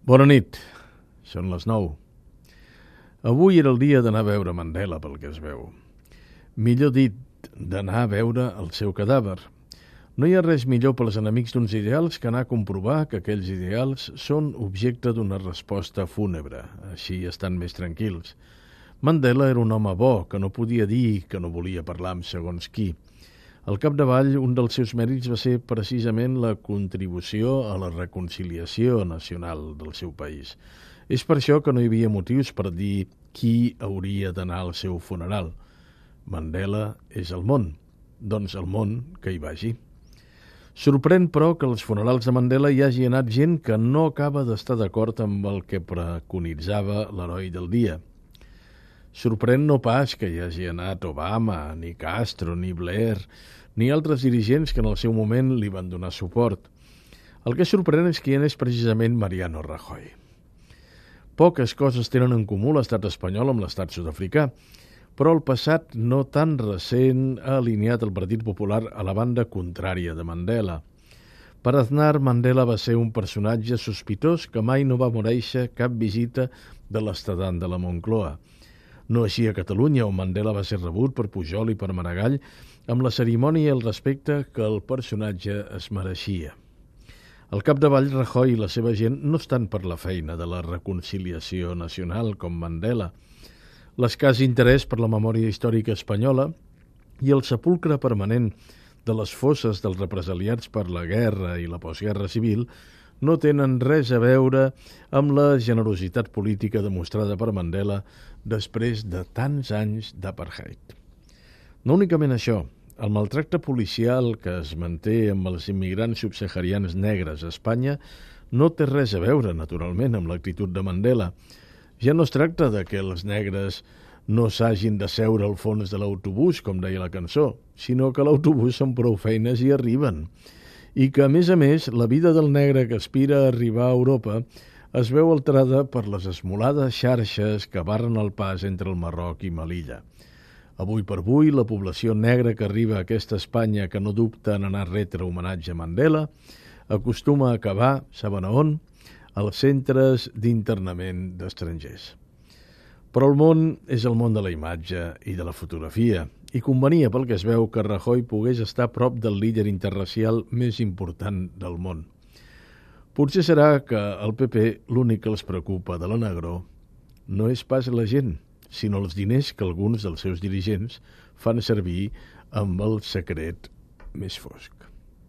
Bona nit, són les 9. Avui era el dia d'anar a veure Mandela, pel que es veu. Millor dit, d'anar a veure el seu cadàver. No hi ha res millor pels enemics d'uns ideals que anar a comprovar que aquells ideals són objecte d'una resposta fúnebre. Així estan més tranquils. Mandela era un home bo, que no podia dir que no volia parlar amb segons qui. Al capdavall, un dels seus mèrits va ser precisament la contribució a la reconciliació nacional del seu país. És per això que no hi havia motius per dir qui hauria d'anar al seu funeral. Mandela és el món, doncs el món que hi vagi. Sorprèn, però, que als funerals de Mandela hi hagi anat gent que no acaba d'estar d'acord amb el que preconitzava l'heroi del dia. Sorprèn no pas que hi hagi anat Obama, ni Castro, ni Blair, ni altres dirigents que en el seu moment li van donar suport. El que sorprèn és que hi anés precisament Mariano Rajoy. Poques coses tenen en comú l'estat espanyol amb l'estat sud-africà, però el passat no tan recent ha alineat el Partit Popular a la banda contrària de Mandela. Per Aznar, Mandela va ser un personatge sospitós que mai no va merèixer cap visita de l'estadant de la Moncloa. No així a Catalunya, on Mandela va ser rebut per Pujol i per Maragall amb la cerimònia i el respecte que el personatge es mereixia. Al capdavall, Rajoy i la seva gent no estan per la feina de la reconciliació nacional com Mandela. L'escàs interès per la memòria històrica espanyola i el sepulcre permanent de les fosses dels represaliats per la guerra i la postguerra civil no tenen res a veure amb la generositat política demostrada per Mandela després de tants anys d'apartheid. No únicament això, el maltracte policial que es manté amb els immigrants subsaharians negres a Espanya no té res a veure, naturalment, amb l'actitud de Mandela. Ja no es tracta de que els negres no s'hagin de seure al fons de l'autobús, com deia la cançó, sinó que l'autobús són prou feines i arriben. I que, a més, la vida del negre que aspira a arribar a Europa es veu alterada per les esmolades xarxes que barren el pas entre el Marroc i Melilla. Avui per avui, la població negra que arriba a aquesta Espanya que no dubta en anar a retre homenatge a Mandela acostuma a acabar, saben a on?, als centres d'internament d'estrangers. Però el món és el món de la imatge i de la fotografia, i convenia, pel que es veu, que Rajoy pogués estar a prop del líder interracial més important del món. Potser serà que al PP l'únic que els preocupa de la negror no és pas la gent, sinó els diners que alguns dels seus dirigents fan servir amb el secret més fosc.